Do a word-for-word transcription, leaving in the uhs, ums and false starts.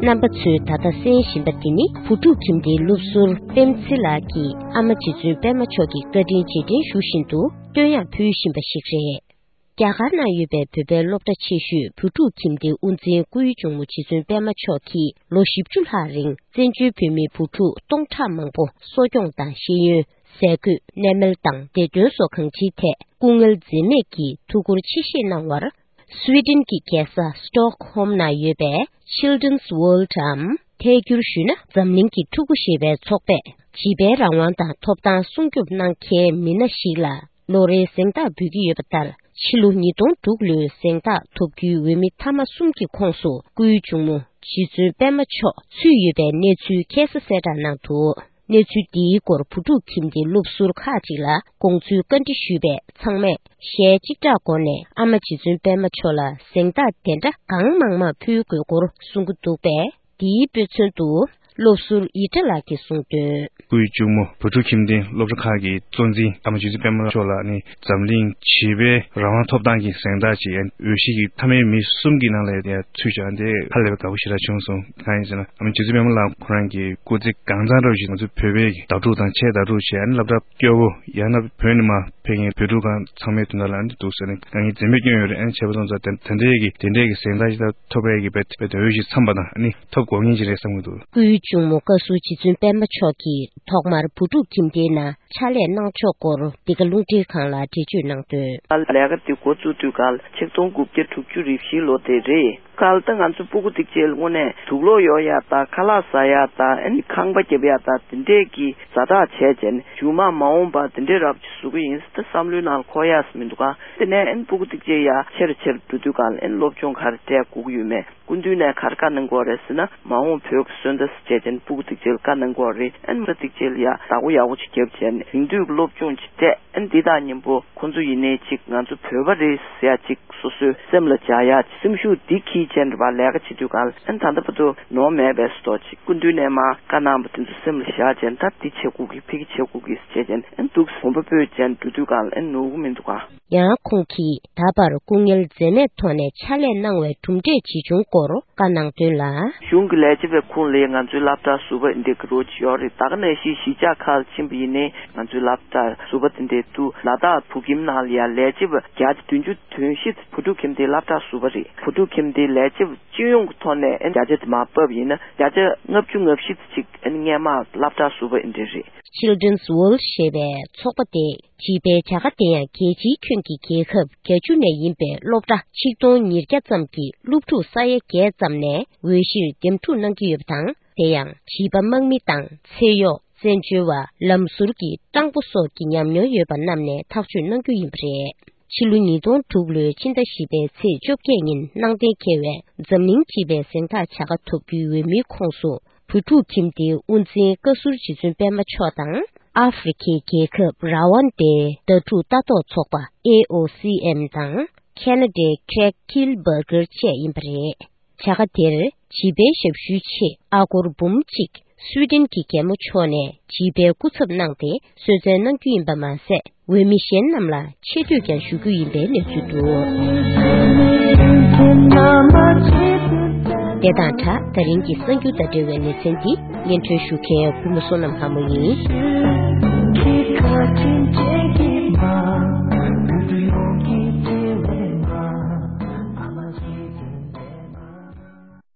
རྣམ་པ་ཚོས་ད་ལྟ་གསན་བཞིན་པ་འདི་ནི་བུ་ཕྲུག་ཁྱིམ་སྡེའི་སློབ་ཟུར་པེམ་ཚེ་ལགས་ཀྱིས་ཨ་མ་རྗེ་བཙུན་པད་མ་མཆོག་གི་བཀའ་དྲིན་རྗེས་དྲན་ཞུ་བཞིན་དུ་བསྟོད་དབྱངས་ཕུལ་བཞིན་པ་ཞིག་རེད། རྒྱ་གར་ནང་ཡོད་པའི་བོད་པའི་སློབ་གྲྭ་ཆེ་ཤོས་བུ་ཕྲུག་ཁྱིམ་སྡེའི་དབུ་འཛིན་སྐུའི་གཅུང་མོ་རྗེ་བཙུན་པད་མ་མཆོག་གིས་ལོ་བཞི་བཅུ་ལྷག་རིང་བཙན་བྱོལ་བོད་མིའི་བུ་ཕྲུག་སྟོང་ཕྲག་མང་པོ་གསོ་སྐྱོང་དང་ཤེས་ཡོན། ཟས་གོས། གནས་མལ་དང་བདེ་དོན་སོགས་གང་ཅིའི་ཐད་སྐུ་ངལ་འཛེམས་མེད་ཀྱིས་ཐུགས་ཁུར་ཆེ་བཞེས་གནང་བར། སུའེ་ཏེན་གྱི་རྒྱལ་ས་སི་ཏོག་ཧོམ་ན་ཡོད་པའི་Children's World འམ། ཐད་སྒྱུར་ཞུས་ན་འཛམ་གླིང་གི་ཕྲུ་གུ་ཞེས་པའི་ཚོགས་པས་བྱིས་པའི་རང་དབང་དང་ཐོབ་ཐང་སྲུང་སྐྱོབ་གནང་མཁན་མི་སྣ་ཞིག་ལ་ལོ་རེའི་གཟེངས་རྟགས་འབུལ་གྱི་ཡོད་པ་ལྟར། ཕྱི་ལོ་ཉིས་སྟོང་དྲུག་ལོའི་གཟེངས་རྟགས་ཐོབ་རྒྱུའི་འོས་མི་མཐའ་མ་གསུམ་གྱི་ཁོངས་སུ་སྐུའི་གཅུང་མོ་རྗེ་བཙུན་པད་མ་མཆོག་ཚུད་ཡོད་པའི་གནས་ཚུལ་ཁ་སང་གསལ་བསྒྲགས་གནང་འདུག་གནས་ཚུལ་འདིའི་སྐོར་བུ་ཕྲུག་ཁྱིམ་སྡེའི་སློབ་ཟུར་ཁག་ཅིག་ལ་དགོངས་ཚུལ་བཀའ་འདྲི་ཞུས་པས། ཚང་མས་ཞལ་གཅིག་གྲགས་སྒོ་ནས་ཨ་མ་རྗེ་བཙུན་པད་མ་མཆོག་ལ་གཟེངས་རྟགས་དེ་འདྲ་གང་མང་མང་ཕུལ་དགོས་སྐོར་གསུང་གི་འདུག་པས། འདིའི་དཔེ་མཚོན་དུ་སློབ་ཟུར་ཡིད་བྲལ་ལགས་ཀྱིས་གསུངས་དོན། སྐུའི་གཅུང་མོ་བུ་ཕྲུག་ཁྱིམ་སྡེའི་སློབ་གྲྭ་ཁག་གི་གཙོ་འཛིན་ཨ་མ་རྗེ་བཙུན་པད་མ་མཆོག་ལ་ནི་འཛམ་གླིང་བྱིས་པའི་རང་དབང་ཐོབ་ཐང་གི་གཟེངས་རྟགས་ཅིག་འོས་གཞི་གི་མཐའ་མའི་མི་གསུམ་གྱི་ནང་ལ་ཡང་ཚུད་བྱུང་། དེ་ཧ་ལས་པའི་དགའ་པོ་ཞེ་དྲག་བྱུང་སོང་། གང་ཡིན་ཟེར་ན་ཨ་མ་རྗེ་བཙུན་པད་མ་ལགས་ཁོ་རང་གི་སྐུ་ཚེ་གང་ཚང་འདྲ་བོ་ཞིག་ང་ཚོ་བོད་པའི་བརྡ་སྤྲོད་དང་ཆེད་བརྡ་སྤྲོད་བྱས། ཨ་ནི་སློབ་གྲྭ་སྐྱོ་བོ་ཡང་ན་བོད་ནས་མར་ཕེབས་མཁན་བོད་ཕྲུག་གང་ཚང་མའི་དོན་དག་ལ་ཨ་ནི་འདུག་ཟེར་ནས་ང་གཉིས་འཛེམ་མེད་སྐྱོན་ཡོད་རེད། ཨ་ནི་བྱས་པ་སོང་ཙང་དེ་དེ་འདྲའི་གི་དེ་འདྲའི་གི་གཟེངས་རྟགས་ཞིག་ད་ཐོབ་པའི་གི་དཔེ་དཔེ་དེ་འོས་གཞི་འཚམས་པ་དང་ཨ་ནི་ཐོབ་དགོས་ངེས་ཅིག་རེད་བསམ་གྱི་འདུག་སྐུའི་གཅུང་མོ་བཀའ་ཟུར་རྗེ་བཙུན་པད་མ་མཆོག་གིས་ཐོག་མར་བུ་ཕྲུག་ཁྱིམ་སྡེའི་ནང་ཕྱག་ལས་གནང་ཕྱོགས་སྐོར་འདི་ག་རླུང་འཕྲིན་ཁང་ལ་འགྲེལ་བརྗོད་གནང་དོན། ལས་ཀ་འདི་འགོ་བཙུགས་དུས་སྐབས་ཆིག་སྟོང་དགུ་བརྒྱ་དྲུག་ཅུ་རེ་བཞི་ལོ་དེ་རེད། སྐབས་དེ་ང་ཚོ་སྤུ་གུ་ཐིག་ཅེས་དངོས་གནས་དུག་སློག་གཡོག་ཡ་དང་ཁ་ལག་ཟ་ཡ་དང་ཨ་ནི་ཁང་པ་རྒྱབ་ཡ་དང་དེ་འདྲས་ཀྱི་ཛ་དྲག་བྱས་བྱས་ནས་མཇུག་མ་མ་འོངས་པ་དེ་འདྲས་རབ་ཅིག་བཟོ་གི་ཡིན་ཟེར་ཏེ་བསམ་བློའི་ནང་འཁོར་ཡ་ཟེར་མི་འདུག་ག་དེ་ནས་ཨ་ནི་སྤུ་གུ་ཐིག་ཅེས་ཡ་ཆེ་རུ་ཆེ་རུ་འགྲོ་དུས་སྒང་ལ་ཨ་ནི་སློབ་སྦྱོང་ག་རེ་སྤྲད་དགོས་ཀྱི་ཡོད་མེད། སྐུ་མདུན་ནས་ག་རེ་བཀའ་གནང་གི་ཡོད་རེད་ཟེར་ན། མ་འོངས་བོད་ཀྱི་སོན་རྩ་ཟེར་བྱས་ཅན་སྤུ་གུ་ཐིག་ཅེས་ལ་བཀའ་གནང་གི་ཡོད་རེད། ཨ་ནི་སྤུ་གུ་ཐིག་ཅེས་ལ་ཡ་བདག་པོ་ཡག་པོ་ཅིག་བརྒྱབ་བྱས་ནས་རིང་དུས་ཀྱི་སློབ་སྦྱོང་ཅིག་སྤྲད། ཨ་ནི་འདི་དང་མཉམ་པོ་ཁོང་ཚོ་ཡིན་ནའི་ཅིག་ང་ཚོ་བོད་པ་རེད་ཟེར་ཡ་ཅིག་སོ་སོའི་སེམས་ལ་འཇགས་ཡ་ཅིག་སེམས་ཤུགས་འདི་འཁྱེར་བྱས་ནས་རེད་པ། ལས་ཀ་བྱེད་དུས་སྒང་ལ་ཨ་ནི་ད་ལྟ་བར་དུ་ནོར་མེད་པའི་སོ་ཅིག་སྐུ་མདུན་ནས་མར་བཀའ་གནང་བ་དེ་ཚོ་སེམས་ལ་བཞག་བྱས་ནས་ད་འདི་བྱེད་དགོས་ཀྱི་ཕ་གི་བྱེད་དགོས་ཀྱི་ཟེར་བྱས་ཅན་ཨ་ནི་འདུག་གོམ་པ་སྤོས་བྱས་ནས་འགྲོ་དུས་སྒང་ལ་ཨ་ནི་ནོར་གི་མི་འདུག་ག་ཡང་ཁོང་གིས་ད་བར་སྐུ་ངལ་འཛེམས་མེད་ཐོག་ནས་ཕྱག་ལས་གནང་བའི་གྲུབ་འབྲས་ཇི་བྱུང་སྐོར་བཀའ་གནང་དོན་ལ། གཞུང་གི་ལས་བྱེད་པའི་ཁོངས་ལ་ང་ཚོའི་སློབ་གྲྭ་ཟུར་པ་འདི་འདྲ་གི་རོགས་ཅིག་ཡོད་རེད། ད་ག་ནང་བཞིན་གཞིས་ཆགས་ཁག་ལ་ཕྱིན་པ་ཡིན་ནའི་ང་ཚོའི་སློབ་གྲྭ་ཟུར་པ་དེ་འདྲ་འདུག་ལ་དྭགས་བོད་ཁྱིམ་ནང་ལ་ཡང་ལས་བྱེད་པ་བརྒྱ་ཆ་བདུན་ཅུ་དོན་བཞི་བུ་ཕྲུག་ཁྱིམ་སྡེའི་སློབ་གྲྭ་ཟུར་པ་རེད། བུ་ཕྲུག་ཁྱིམ་སྡེའི་ལས་བྱེད་པ་སྤྱི་ཡོངས་ཀྱི་ཐོག་ནས་བརྒྱ་ཆ་དེ་མར་ཕབ་ཡིན་ན་བརྒྱ་ཆ་ལྔ་བཅུ་ང་བཞི་ཙམ་ཅིག་སྔོན་མ་སློབ་གྲྭ་ཟུར་པ་འདི་འདྲ་རེད། Children's World ཞེས་པའི་ཚོགས་པ་དེ་བྱིས་པའི་བྱ་དགའ་དེ་ཡང་རྒྱལ་སྤྱིའི་ཁྱོན་གྱི་རྒྱལ་ཁབ་བརྒྱད་ཅུ་ནས་ཡིན་པའི་སློབ་གྲྭ་ཆིག་སྟོང་ཉིས་བརྒྱ་ཙམ་གྱི་སློབ་ཕྲུག་ས་ཡ་བརྒྱད་ཙམ་ནས་འོས་གཞིར་འདེམས་སྒྲུག་གནང་གི་ཡོད་པ་དང་། དེ་ཡང་བྱིས་པ་དམག་མི་དང་ཚེ་གཡོག་བཙན་བྱོལ་བ་ལམ་ཟུར་གྱི་སྤྲང་པོ་སོགས་ཀྱི་ཉམས་མྱོང་ཡོད་པ་རྣམས་ནས་ཐག་གཅོད་གནང་རྒྱུ་ཡིན་པ་རེད། ཕྱི་ལོ་ཉིས་སྟོང་དྲུག་ལོའི་ཕྱི་ཟླ་བཞི་པའི་ཚེས་བཅོ་བརྒྱད་ཉིན་གནང་གཏན་འཁེལ་བའི་འཛམ་གླིང་བྱིས་པའི་གཟེངས་རྟགས་བྱ་དགའ་ཐོབ་རྒྱུའི་འོས་མིའི་ཁོངས་སུ། བུ་ཕྲུག་ཁྱིམ་སྡེའི་དབུ་འཛིན་བཀའ་ཟུར་རྗེ་བཙུན་པད་མ་མཆོག་དང་། ཨ་ཧྥེ་རི་ཁའི་རྒྱལ་ཁབ་ར་ཝན་ཌའི་ཟླ་དྲུག་ལྟ་རྟོག་ཚོགས་པ་ཨེ་ཨོ་སི་ཨེམ་དང་། ཁེ་ན་ཌའི་Craig Kilberger བཅས་ཡིན་པ་རེད། བྱ་དགའ་དེར་བྱིས་པའི་ཞབས་ཞུའི་ཆེད་ཨ་སྒོར་འབུམ་གཅིག་སུའི་ཏན་གྱི་རྒྱལ་མོ་མཆོག་ནས་བྱིས་པའི་སྐུ་ཚབ་གནང་སྟེ་གསོལ་སྩལ་གནང་རྒྱུ་ཡིན་པ་མ་ཟད། འོས་མི་གཞན་རྣམས་ལ་ཆེ་བསྟོད་ཀྱང་ཞུ་རྒྱུ་ཡིན་པའི་གནས་ཚུལ་འདུག་དེ་དང་སྦྲགས་ད་རིང་གི་གསར་འགྱུར་དང་འབྲེལ་བའི་ལེ་ཚན་འདི་སྙན་སྒྲོན་ཞུ་མཁན་གུས་མོ་བསོད་ནམས་ལྷ་མོ་ཡིན།